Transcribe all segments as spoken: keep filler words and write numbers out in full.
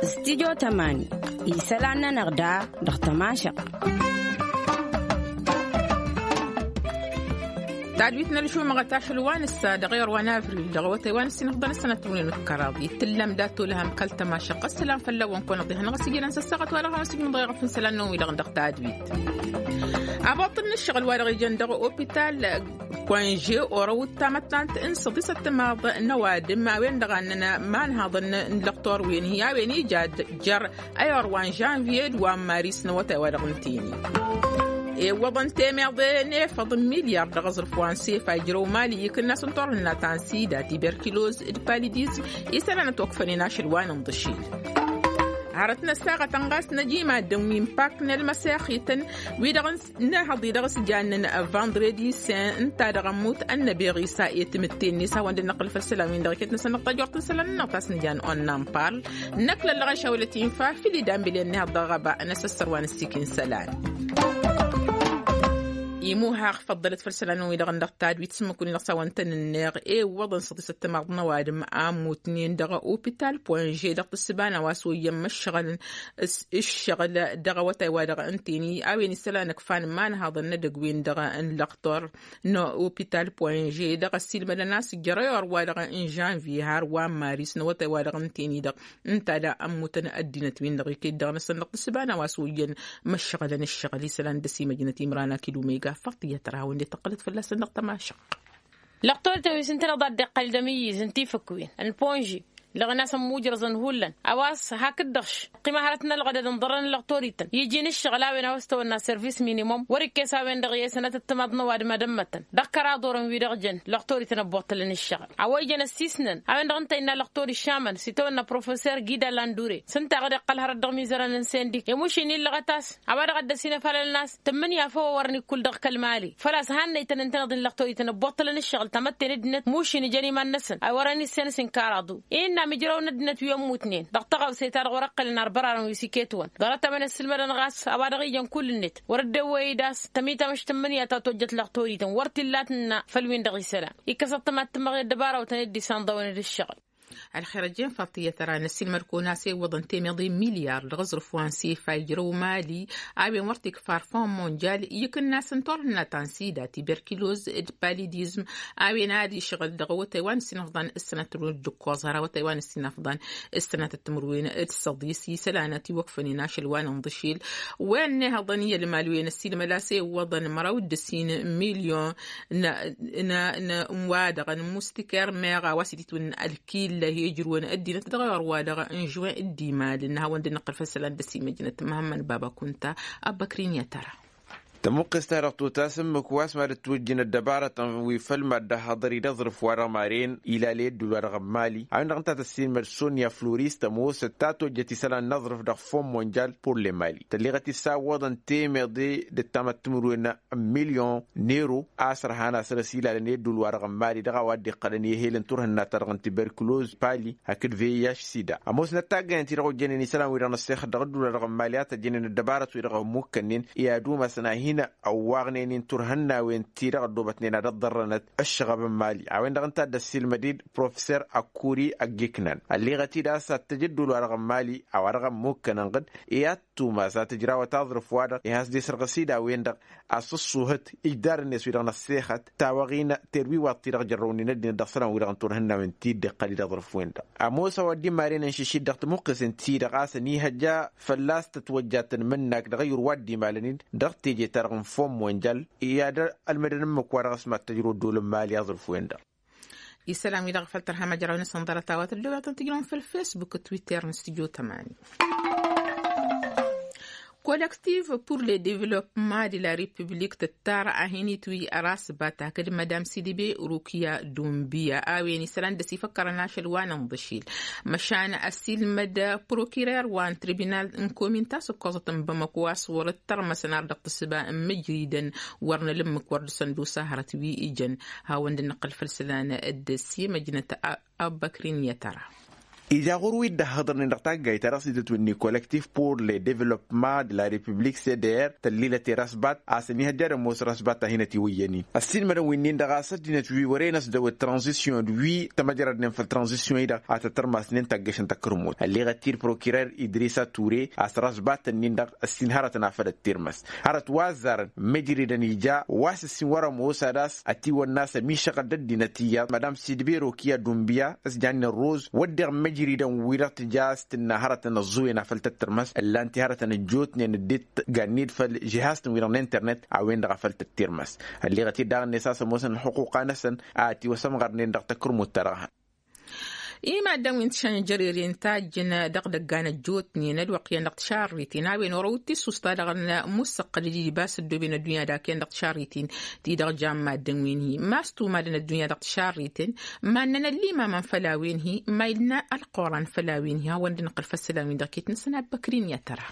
Studio tămani isălan-nănăɣ da dăɣ-tămašăɣt. Tadwit n-ălžumăɣăt ašăl wa n-ǝssa dăɣ-ewăr wa n-avril dăɣ-awătay wa n-ǝssin ăfḍăn ăssănăt n-win n-kăraḍ itǝllăm dat-olăhăm kăl-tămašăɣt ăssălam fălla-wăn kăwăn-ăḍihănăɣ s-ijălăn s-ăssaɣăt wa dăɣ-hawăn s-ijmǝḍ ăyɣăf n-isălan-năwăn wi-dăɣ dăɣ-tadwit. Abăṭṭǝl n-ǝššăɣǝl wa dăɣ-ijăn dăɣ-opital pănže orăw d-tamăttant n-săḍisăt timaḍ n-ăwadǝm a-wen-dăɣ a ǝnnăn imanhaḍăn n-lăqtor-wen hi-a-wen ija jer-ayɣăr wa n-žanviye d-wa n-maris n-awătay wa dăɣ-nǝtini. Iwwăḍăn temeḍe n-efăḍ n-milyar dăɣ-aẓrǝf wa n-sefa ijrăw mali ikǝnnas n-turhǝnna ta n-sida tiberkiloz d-palidizm isălan ătwăkfănen ašăl wa n-inḍǝšil. Hărăt n-ăssaɣătăn ɣas năj imaddǝn wi n-pak n-ălmăsexităn wi-dăɣ n-ehăḍ-i dăɣ-s jannen vandredi sen ǝnta dăɣ-ămmut ănnăbeɣ isa i-tǝmǝtte-net hawăn-dd-năqqǝl făll-isălan-win-dăɣ iket-năsăn dăɣ-tajort n-isălan-nănăɣ ta s-nǝjan onnan parl. Năkk lăllăɣ n-šawălăt infa făll-idan bile n-ehăḍ dăɣ-ɣăba n-asăssăr wa n-ăssikin isălan. Imuhaɣ făḍḍălăt făll-isălan-nănăɣ wi-dăɣ n-dăɣ tadwit s-ǝmmǝk-win-dăɣ s-a-wăn tăn-ǝnneɣ i-iwwăḍăn săḍisăt timaḍ n-ăwadǝm a ămmutnen dăɣ-opital pănže dăɣ-tǝssǝba n-a-wa s-oyyăn măššăɣălăn ǝššăɣǝl dăɣ-awătay wa dăɣ-ǝnteni a-wen isălan ǝkfan imanhaḍăn n-edăgg-win-dăɣ n-lăqtor n-opital pănže dăɣ-ăssiilmădăn a-s ǝjjăr i-orwa-dăɣ n-žanviye har wa n-maris n-awătay wa dăɣ-ǝnteni-dăɣ ǝnta da ămmutăn ăddinăt-win-dăɣ iket-dăɣ-năsăn dăɣ-tǝssǝba n-a-wa s-oyyăn măššăɣălăn ǝššăɣǝl isălan d-ăsimăjnăt imran akid umega faṭiyăt ra hawăn-dd-tăqqălăt fălla-săn dăɣ-tămašăɣt. Lăqtorităn wi s-ǝntăneḍ ad-dd-iqqăl d-amǝyyǝz n-tifǝkwen n-ponži lăɣnas ămmujrăẓăn hullan a-wa s-ha kǝddăɣš ăqqima hărăt n-ălɣădăd ǝnḍărrăn n-lăqtorităn iji n-ǝššăɣǝl a-wen a-wa s-tawănna service minimum wăr-ikkes a-wen-dăɣ i-sănătăt timaḍ n-ăwadǝm ad-ămmătăn dăɣ-kăraḍ orăn wi-dăɣ jăn lăqtorităn ăbboṭṭălăn ǝššăɣǝl a-wa ijăn ăssiisnăn a-wen-dăɣ ǝnta innă lăqtor išamăn s-itawănna professor gida landure s-ǝnta a dăɣ-iqqăl hărăt dăɣ-imizărăn n-sendik i-mušin illăɣăt a-s a-wa dăɣ-dd-ăsinăfalălăn a-s tǝmmǝnǝya făw a wărăn ikkul dăɣ-kăl-mali făl-a-s hannăytăn ǝntăneḍ-in lăqtorităn ăbboṭṭălăn ǝššăɣǝl tamătte n-ăddinăt mušin ijăn iman-năsăn a wărăn issenăs inkăraḍu. Innă ămijrăw n-ăddinăt wi ămmutnen dăɣ-tăɣawse ta dăɣ-wăr-ăqqălăn arbărarăn wi s-iket-wăn ḍarăt-a-wen ăssiilmădăn ɣas a-wa dăɣ-ijăn kull-net wăr ăddewăy-dd a-s tămităm š-tǝmmǝnǝya ta tojjăt lăqtorităn wăr t-illa tǝnna făll-win-dăɣ isălan. Ikkăs ăṭṭămat tǝmmăɣ i-ăddăbarawtăn dd-isanḍăwăn d-ǝššăɣǝl. Ălxer ăjjeen faṭiyăt ăra n-ăssiilmăd-kăwăn a-s iwwăḍăn temeḍe milyar dăɣ-aẓrǝf wa n-sefa ijrăw mali a-wen wăr t-ikfa ar fond monjal i-ikǝnnas n-turhǝnna ta n-sida tiberkiloz d-palidizm a-wen ad-išɣǝl dăɣ-awătay wa n-ǝssin ăfḍan ǝssănăt timǝrwen d-ǝkkoẓ har awătay wa n-ǝssin ăfḍan ǝssănăt timǝrwen d-săḍis isălan a tiwăkfănen ašăl wa n-inḍǝšil. Wen n-ehăḍăn i-ălmal wen ăssiilmăd a-s iwwăḍăn măraw d-ǝssin milyon n-wa-dăɣ n-mustiker meɣ a-wa s-ititwǝnna ălkilla hi-ijrǝwăn ăddinăt dăɣ-iɣăr wa-dăɣ n-žuwen d-imal n-hawăn-dd-năqqăl făll-isălan d-ăsimăjnăt măhămmăn baba kunta. Abbăkrin i-ad-tăra tămuqqes-ta-dăɣ tutas ǝmmǝk wa s-mad-ătwǝjjǝn ăddăbarătăn wi făll-mad-dd-ăhhăḍăr-i d-aẓrǝf-wa-dăɣ maren ilale ădduul-wa-dăɣ n-mali a-wen-dăɣ ǝnta tăssiilmăd sonya floris tămoosăt ta tojjăt isălan n-aẓrǝf dăɣ-fond monjal pur le mali tălleɣăt-i s-a ǝwwăḍăn temeḍe d-ăttamăt timǝrwen n-milyon n-ero a-s ărhan a săr-ăsilalăn i-ădduul-wa-dăɣ n-mali dăɣ-a-wa dd-iqqălăn i-ehel n-turhǝnna-ta-dăɣ n-tiberkuloz pali hakd vih sida ămoosnăt taggăyăn-ti-dăɣ ojjănen isălan-wi-dăɣ n-ăssexăt dăɣ-ădduul-wa-dăɣ n-mali a tăjjănen ăddăbarăt-wi-dăɣ ămmukkănnen i-ad-umasăn a hin-ăwwaɣnen i-turhǝnnawen-ti-dăɣ ăddoobătnen ad-ăḍḍărrănăt ăššăɣăb n-mali a-wen-dăɣ ǝnta a dd-ăssiilmăd-dd professor akkuri ăggiknan ălleɣăt-dd a-s ad-t-tăj ădduul-wa-dăɣ n-mali a-wa-dăɣ ămmukkănăn ɣǝd i-ad-tumas ad-tǝjrawăt aẓrǝf-wa-dăɣ i-has-dd-isrăɣ s-dd a-wen-dăɣ a-s ǝṣṣuhăt ijdar-net wi-dăɣ n-ăssexăt tawaɣin terwiwaḍt-ti-dăɣ jărrăwnen ăddinăt dăɣ-isălan-wi-dăɣ n-turhǝnnawen ti dd-iqqăl-i d-aẓrǝf-wen-dăɣ. Ămoos a-wa dd-imaren ănšǝšit dăɣ-tamǝqqes-in-ti-dăɣ a-s ănihăjja fălla-s tătwăjja tăn-imǝnnak dăɣ-ayǝr wa dd-imalăn-in dăɣ-teje-ta-dăɣ n-fond monjal i-ad-ălmădăn ǝmmǝk-wa-dăɣ s-mad-tăjrăw ăddol n-mali aẓrǝf-wen-dăɣ. Isălan-wi-dăɣ făll-tărha măjrawen s-ănḍărăt a-wa tăddobătăn tǝjrăwăn făll-facebook d-twitter n-studio tămani. Kolektiv pur le devlopma de la republik tǝttar a hin-itwi ărasbat hakd madam sidibe rukiya dumbiya a-wen isălan dd-ăsifăkkărăn ašăl wa n-inḍǝšil măšan ăsilmăd prokirer wa n-tribinal n-komin ta s-ǝkkoẓăt n-bamăko a-s wăr-dd-tărmăsăn ar dăɣ-tǝssǝba n-mǝjridăn wăr nălǝmmǝk wăr dăr-săn d-osa hărăt wi ijăn. Hawăn-dd-năqqăl făll-isălan dd-simăjnăt. Abbăkrin i-ad-tăra Ija ɣur-wi dd-ăhhăḍărnen dăɣ-taggayt ta dăɣ-s itǝtwǝnni collectif pour le development de la republik cdr tăllilăt i-răsbat a-s ănihăjja ad-ămoos răsbat ta hin-ătiwăyyăn-in ăssiilmădăn wi-nin-dăɣ a-s ăddinăt wi wăren ăsdăwăt tranzisyon d-wi tămăjradnen făll-tranzisyon-i-dăɣ a tăt-ărmasnen taggăšăn takărmut ălleɣăt-dd prokirer idrisa ture a-s răsbat-nin-dăɣ ăssin hărătăn afăl ăttirmăs hărăt wa ăzzarăn măjridăn ija wa s-ăssin wăr-ămoos ad-ass ătiwănna a-s ămišăɣăl d-ăddinăt iyyăḍ madam sidbero kiya dunbiya s-jannen roz wădden măjridăn-wi-dăɣ tǝja a-s tǝnna hărătăn ăẓẓuwen afăl tăttărmăs ǝllan-t i-hărătăn ăjjootnen dd-tăganned făll-žihaz-tăn-wi-dăɣ n-internet a-wen-dăɣ afăl tăttărmăs. Ălleɣăt-dd daɣ-net a-s ămoosăn ălxuquqa-năsăn a ătiwăsămɣărnen dăɣ-takărmut-ta-dăɣ-hăn. I-maddǝn wi n-tišănjăreren tajjǝn dăɣ-idăggan ăjjootnen ălwăqq iyyăn dăɣ-tišarriten a-wen orăw d-tisusta dăɣ-nămussăqqăl d-ibas ăddooben ăddunya dak iyyăn dăɣ-tišarriten ti-dăɣ jan maddǝn wi n-hi ma s-tumadăn ăddunya dăɣ-tišarriten. Mannăn ăllimamăn făll-a-wen-hi ma ilna ălqoran făll-a-wen-hi hawăn-dd-nǝqqǝl făssălan-win-dăɣ ket-năsăn abbăkrin i-ad-tăra.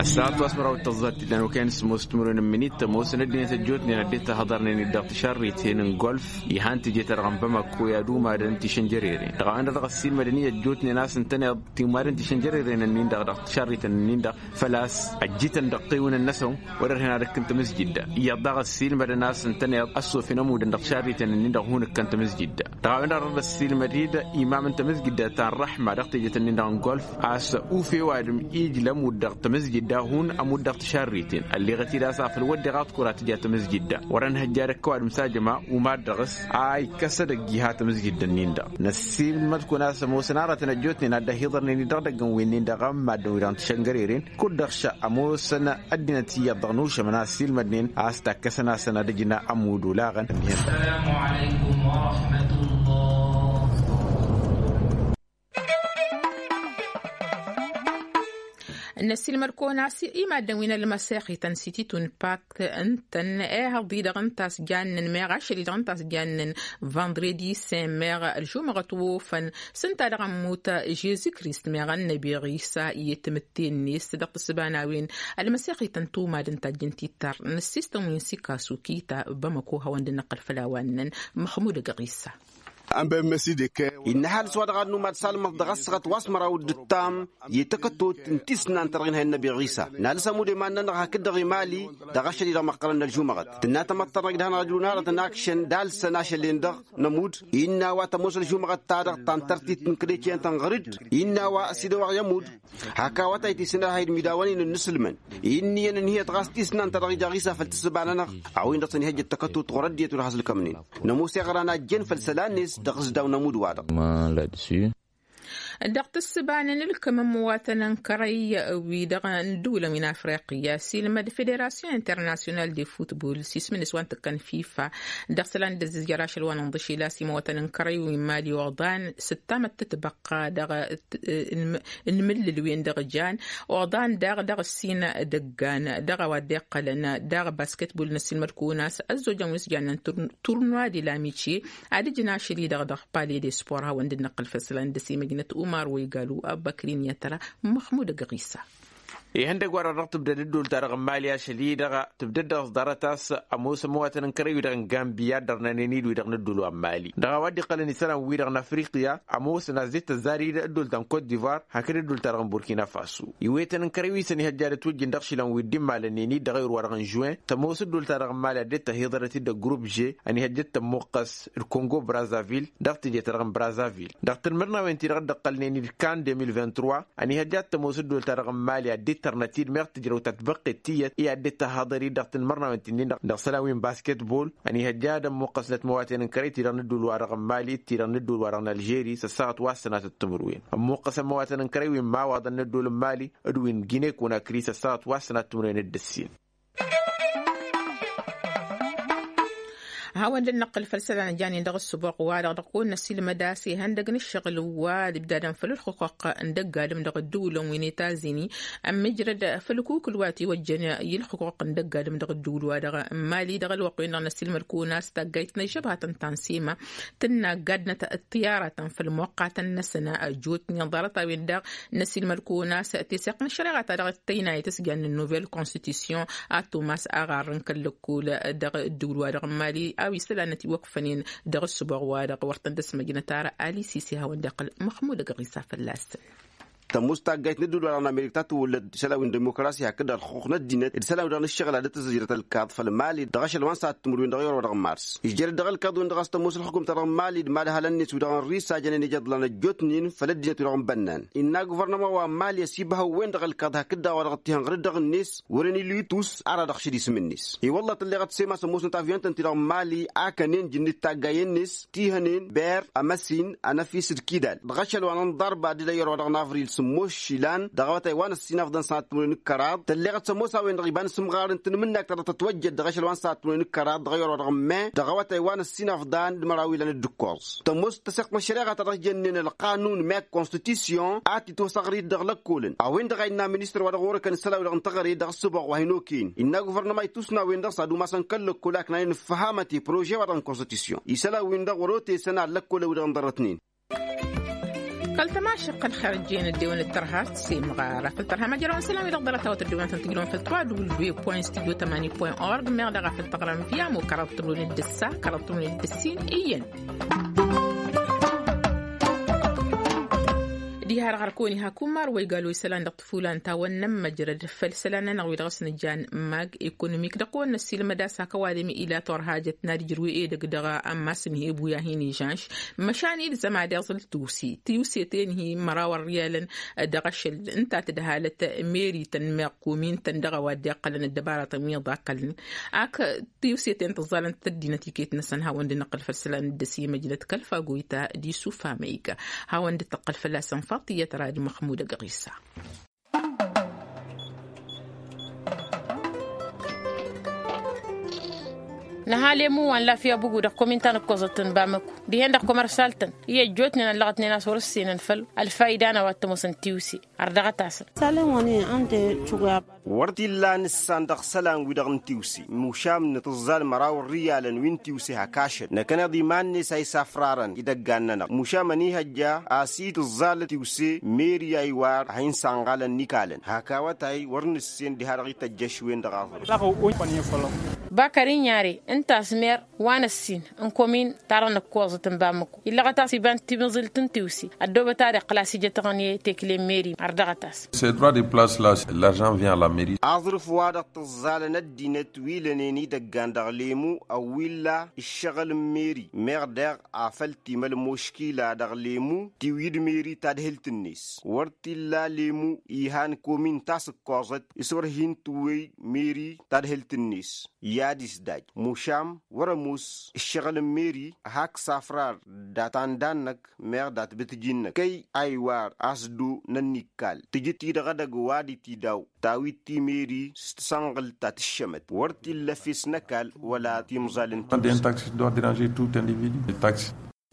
Ăssaɣăt wa s-măraw d-tăẓẓat tidlan wa kăyăn s-ămoos timǝrwen n-minit tămoosăn ăddinăt ăjjootnen ăddinăt ăhhăḍărnen-dd dăɣ-tišarriten n-golf. Ihan teje-ta-dăɣ n-bamako i-ad-umadăn tišănjăreren dăɣ-a-wen-dăɣ dăɣ-ăssiilmădăn-i ăjjootnen a-s ǝntăneḍ timadăn tišănjăreren-nin-dăɣ dăɣ-tišarriten-nin-dăɣ făl-a-s ăjjităn dăɣ-tewǝnăn-năsăn wăr-ărhen ad-ǝkkǝn tamǝzjǝdda. Iyyăḍ daɣ ăssiilmădăn a-s ǝntăneḍ ăssofin ămudăn dăɣ-tišarriten-nin-dăɣ hun-ǝkkăn tamǝzjǝdda. Dăɣ-a-wen-dăɣ dăr-ăssiilmăd-dd imam n-tamǝzjǝdda ta n-răḥma dăɣ-tejet-nin-dăɣ n-golf a-s uf i-ăwadǝm ijlăm-wǝd dăɣ-tamǝzjǝdda hun ămud dăɣ-tišarriten ălleɣăt-dd a-s afăl wădden aḍkur a tǝja tamǝzjǝdda wăr-ănhăjja dăɣ-kăwadǝm s-ajăma umad dăɣ-s a ikkăs edăgg iha tamǝzjǝdda-nin-dăɣ. Năssiilmăd-kăwăn a-s ămoosăn aratăn ăjjootnen ad-dd-ăhiḍărnen-dd dăɣ-idăgg n-wen-nin-dăɣ n-maddǝn wi-dăɣ n-tišăngăreren kud-dăɣ šăɣ ămoosăn ăddinăt iyyăḍ dăɣ-nušămăn a ăssiilmădnen a-s takkăsăn-asăn ad-ǝjna ămudd olaɣăn. Năssiilmăd-kăwăn a-s i-maddǝn wi n-ălmăsexităn s-ititun pak ǝntăn ehăḍ-i-dăɣ ǝnta a-s jannen meɣ ašăl-i-dăɣ ǝnta a-s jannen vandredi s-e-meɣ ălžumăɣăt wa ofăn s-ǝnta dăɣ-ămmut žezi-krist meɣ ănnăbi ɣisa i-tǝmǝtte-net dăɣ-tǝssǝba n-a-wen. Ălmăsexităn tumad n-tajjǝn tittăr n-ăssistăn wi n-sikasu kita bamăko hawăn-dd-năqqăl făll-a-wa ǝnnăn măxmud ăgg ɣisa. Innă ăhalǝs wa dăɣ-ad-numad salmăḍ dăɣ-ăssaɣăt wa s-măraw d-ǝttam i-takătut n-tisnant ta dăɣ-inhăyăn n-ăbiɣisa n-alǝs ămudd i-iman-nănăɣ hakd-dăɣ imali. Dăɣ-ašăl-i-dăɣ măqqălăn n-ălžumăɣăt tǝnna tamăḍt ta dăɣ-idhan ăjrun arătăn akšăn d-alsăn ašăl-en-dăɣ n-ămudd. Innă a-wa tămoos ălžumăɣăt-ta-dăɣ ta n-tărtit n-kădecen tănɣăr-dd innă a-wa s-idăwăɣ i-ămudd. Hak awătay ti s-nărhayǝd midawăn-in n-inǝslǝmăn. Inn'-iyyăn ǝnhǝyăt ɣas tisnant ta dăɣ-ija ɣisa făll-tǝssǝba-nănăɣ a-wa-in-dăɣ tăn-ihăjjăt takătut ɣur-ăddinăt wăr has-ǝlkămnen. Nămoos iɣran a ǝjjen făll-isălan-net dăɣ-izdaw n-ămudd-wa-dăɣ. Dăɣ-tǝssǝba n-inǝlkăm n-imǝwatăn n-kărăy-wi-dăɣ n-ǝddǝwǝlăn wi n-afriqya s-ilmăd federasyon internasyonal de futbol s-ismǝn-s wa n-tǝkkăn fifa. Dăɣ-isălan d-ăzzizjăr ašăl wa n-inḍǝšel a-s imǝwatăn n-kărăy wi n-imali oḍan s-ǝttamăt tǝtbăqqa dăɣ-inmǝllǝl-wen-dăɣ jan oḍan daɣ dăɣ-ǝssin dăggan dăɣ-a-wa dd-iqqălăn daɣ basketbol n-ăssiilmăd-kăwăn a-s ăzzojăn wi s-jannen turnwa de la mice. Ad-ǝjǝn ašăl-i-dăɣ dăɣ-pale de spor hawăn-dd-năqqǝl făll-isălan dăr-s imăjnăt umar wa igalu abbăkrin i-ad-tăra. Măxmud ăgg ɣisa. Ihăndăgg wa-dăɣ dăɣ-tǝbdăd ǝddul-ta-dăɣ n-imali ašăl-i-dăɣ tǝbdăd dăɣ-s ḍarăt a-s ămoos ămwatăn n-kărăy-wi-dăɣ n-gambiya ăddărnănen-dd wi-dăɣ n-ǝddul wa n-imali dăɣ-a-wa dd-iqqălăn isălan-wi-dăɣ n-afriqya. Ămoosăn a-s dd-tăzzar-dd ǝddul ta n-kot divar hakd ǝddul-ta-dăɣ n-burkina faso. Iwetăn n-kărăy wi s-ănihăjja ad-ătwǝjjǝn dăɣ-išilan wi dd-immalănnen-dd dăɣ-ewăr wa-dăɣ n-žuwen tămoos ǝddul-ta-dăɣ n-imali a dd-tăhiḍărăt-dd ăgrup že ănihăjja ad-tămmuqqăs d-kongo brazavil. Dăɣ-teje-ta-dăɣ n-brazavil dăɣ-tanmărnawen-ti-dăɣ dd-ăqqălnen-dd kan deux mille vingt-trois. Ănihăjja ad-tămoos ǝddul-ta-dăɣ n-imali a dd-tărnăt-dd meɣ tǝjrăw ta tbăqqet tiyyăt i-ad-dd-tăhhăḍăr-dd dăɣ-tanmărnawen-ti-nin-dăɣ dăɣ-isălan wi n-basketbol. Ănihăjja ad-ămmuqqăsnăt imăwaten n-kărăy-ti-dăɣ n-ǝddul-wa-dăɣ n-imali d-ti-dăɣ n-ǝddul-wa-dăɣ n-ălžeri s-ăssaɣăt wa s-sănatăt timǝrwen ămmuqqăsăn imăwaten n-kărăy wi n-imawaḍăn n-ǝddul n-imali d-wi n-gine-konakri s-ăssaɣăt wa s-sănatăt timǝrwen d-ǝssin. Hawăn-dd-năqqǝl făll-isălan ăjjanen dăɣ-ǝssǝboɣ-wa-dăɣ dăɣ-kăwăn-năsilmăd a-s ihăndăg n-ǝššăɣǝl wa d-ibdadăn făll-ǝlxǝquq n-dăgg-adǝm dăɣ-ǝddǝwǝlăn wi n-etazini. Ămmijrăd făll-akukǝl wa tiwăjjăn i-ǝlxǝquq n-dăgg-adǝm dăɣ-ǝddǝwǝl-wa-dăɣ n-imali dăɣ-ălwăqq-wen-dăɣ năsilmăd-kăwăn a-s taggayt n-ăžžăbhatăn ta n-sema tǝnna gaddinăt ăṭṭiyarătăn făll-imoqqatăn-năsăn. Ăjjootnen ḍarăt-a-wen-dăɣ năsilmăd-kăwăn a-s teseɣt n-ăššăreɣa-ta-dăɣ d-tăynayăt s-jannen novel konstitusyon a tomas aɣarr n-kăl-lăkkol dăɣ-ǝddǝwǝl-wa-dăɣ n-imali. a-wa isălan ătiwăkfănen dăɣ-ǝssǝboɣ-wa-dăɣ wăr tăn-dd-ăsmăjnăt ara. Ali sisi a hawăn-dd-iqqăl măxmud ăgg ɣisa fălla-săn. Tămoos taggayt n-ădduul-wa-dăɣ n-amerik ta tǝwwălăd isălan wi n-dimokrasi hakd-dăɣ ălxuqq n-ăddinăt d-isălan-wi-dăɣ n-ǝššăɣǝl ad-dd-tǝzzǝjrăt ălkaḍ făll-mali dăɣ-ašăl wa n-săhat timǝrwen dăɣ-iwăr-wa-dăɣ n-mars. Ijjăr-dd dăɣ-ălkaḍ-wen-dăɣ a-s tămoos ălxukum-ta-dăɣ n-mali d-mad-ăhalăn-net wi-dăɣ n-ris a jănen ija iḍlan ăjjootnen făll-ăddinăt-wi-dăɣ n-bănnan. Innă guvărnăma wa n-mali ăsibhăw-wen-dăɣ ălkaḍ hakd-dăɣ wa dăɣ-t-ihănɣăr-dd dăɣ-net wăren ilitus ara dăɣ-šăl isǝm-net. I-wălla tălleɣăt sema s-ămoosnăt avyun-tăn-ti-dăɣ n-mali akănen jǝnnit taggayen-net tihănen ber ămăsin ănăfis d-kidal dăɣ-ašăl wa n-ănḍarba d-idăyyăr wa dăɣ-navril sǝmmos išilan dăɣ-awătay wa n-ăssinafḍăn s-anăt timǝrwen d-kăraḍ. Tălleɣăt s-ămoos a-wen-dăɣ iba n-asǝmɣar n-tanmǝnnak ta dăɣ-tătwăjjăt dăɣ-ašăl wa n-săhat timǝrwen d-kăraḍ dăɣ-iyăr wa dăɣ-meh dăɣ-awătay wa n-ăssinafḍan d-măraw ilan d-ǝkkoẓ. Tămoos tăseɣt n-ăššăreɣa ta dăɣ-s jănnen ălqanun meh konstitisyon a t-itwăsăɣrit dăɣ-lăkkolăn a-wen-dăɣ a innă ministăr wa dăɣ-orăkăn isălan-wi-dăɣ n-teɣăre dăɣ-ăssǝboɣ wa hin-okăyăn innă guvărnăma itus n-a-wen-dăɣ s-ad-umasăn kăl-lăkkol a ǝknanen ǝffăhamăt i-prože-wa-dăɣ n-konstitisyon isălan-win-dăɣ wăr-otesăn ad-lăkkolăn-wi-dăɣ n-ḍarrătnen. Kăl-tămašăq ălxer ăjjeen ăddewăn d-tărha s-semɣara făll-tărha măjrăwăn isălan-wi-dăɣ ḍarăt-awăt ăddewăn-tăn-tǝjrăwăn făll-twadǝwǝl dwe point studio tămani point org meɣ daɣ a făll-tăɣrăm via mo kăraḍ tǝmrăwăn d-ǝssa kăraḍ tǝmrăwăn d-ǝssin iyyăn. Diha-dăɣ ărkăwăn iha kummar wa igal wa isălan dăɣ-tǝfulan ta wăr nămmăjrăd făll-isălan-nănăɣ wi dăɣ-s nǝjan mag ekonomik dăɣ-kăwăn-năssilmăd a-s hak ăwadǝm ila turhajăt n-ad-ijrǝw edăgg dăɣ-ammas n-hebu i-ad-hin-ižănš. Măšan ilzăm ad-iẓǝl tiwse tiwse-ten-hi măraw ărriyalăn dăɣ-ašăl ǝnta tǝdhalăt meri-tăn meɣ komin-tăn dăɣ-a-wa dd-iqqălăn ăddăbaratăn wi ăḍakălăn ak tiwse-ten tǝẓẓalăn-tăt ăddinăt iket-năsăn hawăn-dd-năqqǝl făll-isălan dd-ăsimăjnăt kăl-faguyta d-isufamăyga. Hawăn-dd-tăqqǝl fălla-săn faṭiyăt rad măxmud ăgg ɣisa. Nǝha lemu wa n-lafya bugu dăɣ-komin ta n-ǝkkoẓăt n-bamăku dihen-dăɣ komărsal-tăn i-ăjjootnen ăllăɣătnen a-s wăr-ǝssenăn făll-ălfayda n-a-wa t-ămoosăn tiwse. Ărdăɣăt-asăn. Salen wa n-ande cuga. Wăr t-illa n-ǝssan dăɣ-isălan-wi-dăɣ n-tiwse mušam n-tǝẓẓal măraw n-riyalăn wi n-tiwse hak ašăl năkkăneḍ iman-net a isafrarăn idăggan-nănăɣ mušam ănihăjja a-s i-tǝẓẓal tiwse meri a iwar a hin-sanɣalăn n-ikalăn hak awătay wăr nǝssen diha-dăɣ ităjjăš-wen-dăɣ aẓrǝf. Bakăr inyare ǝnta a-s mer wa n-ăssin n-komin ta-dăɣ nǝkkoẓăt n-bamăko illăɣăt-as iba n-timǝẓilt n-tiwse ăddoobăt ad-iqqǝl a-s ijăt aɣǝnye tekle n-meri ărdăɣăt-as. Ces droits de place-la, l'argent vient à la mairie. Aẓrǝf wa dăɣ-tǝẓẓalăn ăddinăt wi lănen idăggan dăɣ-lemu ăwwilla ǝššăɣǝl n-meri meɣ daɣ afăl timăl muškila dăɣ-lemu tiwǝy d-meri tadhǝlt-net wăr t-illa lemu ihan komin ta s-ǝkkoẓăt s-wăr hin-tǝwwăy meri tadhǝlt-net. I-ad-isdaj mušam wăr ămoos ǝššăɣǝl n-meri hak s-afrar dat-anda-năk meɣ dat-bǝtǝji-năk kăy a iwar a-s dd-nănnikkal tǝjǝt-i dăɣ-edăgg wa d-itidaw tawit timeri s-tasănɣǝlt ta tǝššămăt wăr t-illa fes n-ăkall wăla timẓal n-tax.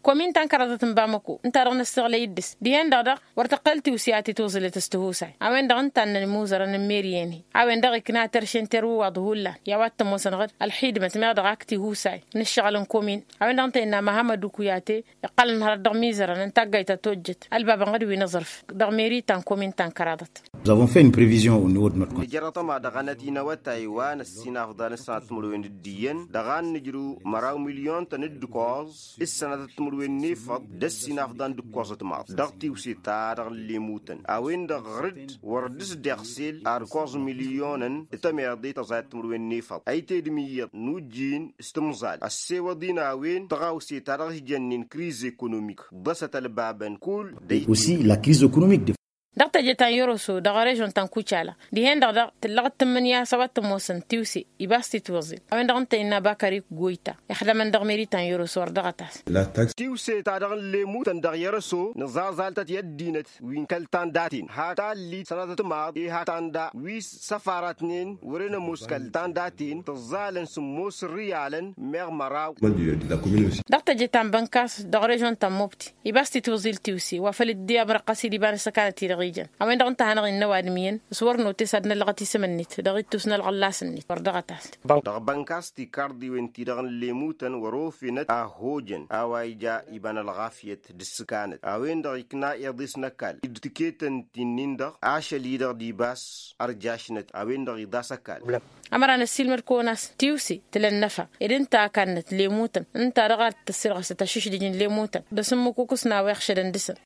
Komin ta n-kăraḍăt n-bamăko ǝnta-dăɣ năssiɣlăy dd-s dihen-dăɣ daɣ wăr tăqqăl tiwse a tituẓǝlăt s-tihusay a-wen-dăɣ ǝnta a ǝnnăn imuzărăn n-meri-en-hi a-wen-dăɣ ikna terše n-terwǝwaḍ hullan i-a-wa t-ămoosănăɣ-dd ălxidmăt meɣ dăɣ-ak tihusay n-ǝššăɣǝl n-komin a-wen-dăɣ ǝnta innă măhămmăd ukuyate iqqălăn hărăt dăɣ-imizărăn n-taggayt ta tojjăt ălbabăn ɣǝd wi n-aẓrǝf dăɣ-meri ta n-komin ta n-kăraḍăt. Nous avons fait une prévision au niveau de notre compte. Nǝjrăḍ ăma dăɣ-anăt-in awătay wa n-ăssinafḍan s-sănatăt timǝrwen d-iyyăn dăɣ-an nǝjrǝw măraw milyon-tăn d-ǝkkoẓ s-sănatăt timǝrwen n-efăḍ d-ăssinafḍan d-ǝkkoẓăt maḍ dăɣ-tiwse-ta-dăɣ n-lemutăn a-wen-dăɣ ɣăr-dd wăr dd-s deɣsel ar ǝkkoẓ milyonăn. Tămeḍe tăẓayăt timǝrwen n-efăḍ ăyted imǝyyăḍ n-ujjin s-tǝmẓal ăssewăḍ-in a-wen tăɣawse ta dăɣ-s jănnen kriz ekonomik ḍăsăt ălbabăn kull. Aussi la crise économique de. Dăɣ-teje ta n-yăroso dăɣ-režon ta n-kucala dihen-dăɣ daɣ tǝllăɣ d-tǝmmǝnǝya s-a-wa t-ămoosăn tiwse iba s-titwăẓen a-wen-dăɣ ǝnta innă bakarik goyta ixdămăn dăɣ-meri ta n-yăroso ărdăɣăt-as. Tiwse ta dăɣ-n lemutăn dăɣ-yărăso nǝẓaẓal-tăt i-ăddinăt wi n-kăl-tanda-ten hak tallit sănatăt timaḍ i-hak tanda wi s-ăfarătnen wăren ămoos kăl-tanda-ten tǝẓẓalăn sǝmmos ărriyalăn meɣ măraw. Dăɣ-teje ta n-bănkas dăɣ-režon ta n-mobti iba s-titwăẓil tiwse wa făl dd-i amrăqqăs-dd iba n-ăssăkanăt-i-dăɣ. ijăn a-wen-dăɣ ǝnta a hanăɣ-innă ăwadǝm iyyăn s-wăr notes ad-năllăɣăt isǝm-net dăɣ-ittus n-ălɣăllas-net wăr dăɣ-ăt. Dăɣ-bănkas tikarḍiwen-ti-dăɣ n-lemutăn wăr-ofinăt a hojăn a-wa ija iba n-ălɣafyăt d-ǝssǝkanăt a-wen-dăɣ ikna iḍes n-ăkall d-tiketăn-ti-nin-dăɣ ašăl-i-dăɣ d-ibas ărjašnăt a-wen-dăɣ iḍas ăkall. Ămăra năssiilmăd-kăwăn a-s tiwse tǝla ănnăfa ed ǝnta a kannăt lemutăn ǝnta-dăɣ a d-tăssirɣăsăt ašǝšdǝj n-lemutăn d-asǝmmǝkukǝs n-a-wa iɣšădăn dăɣ-săn.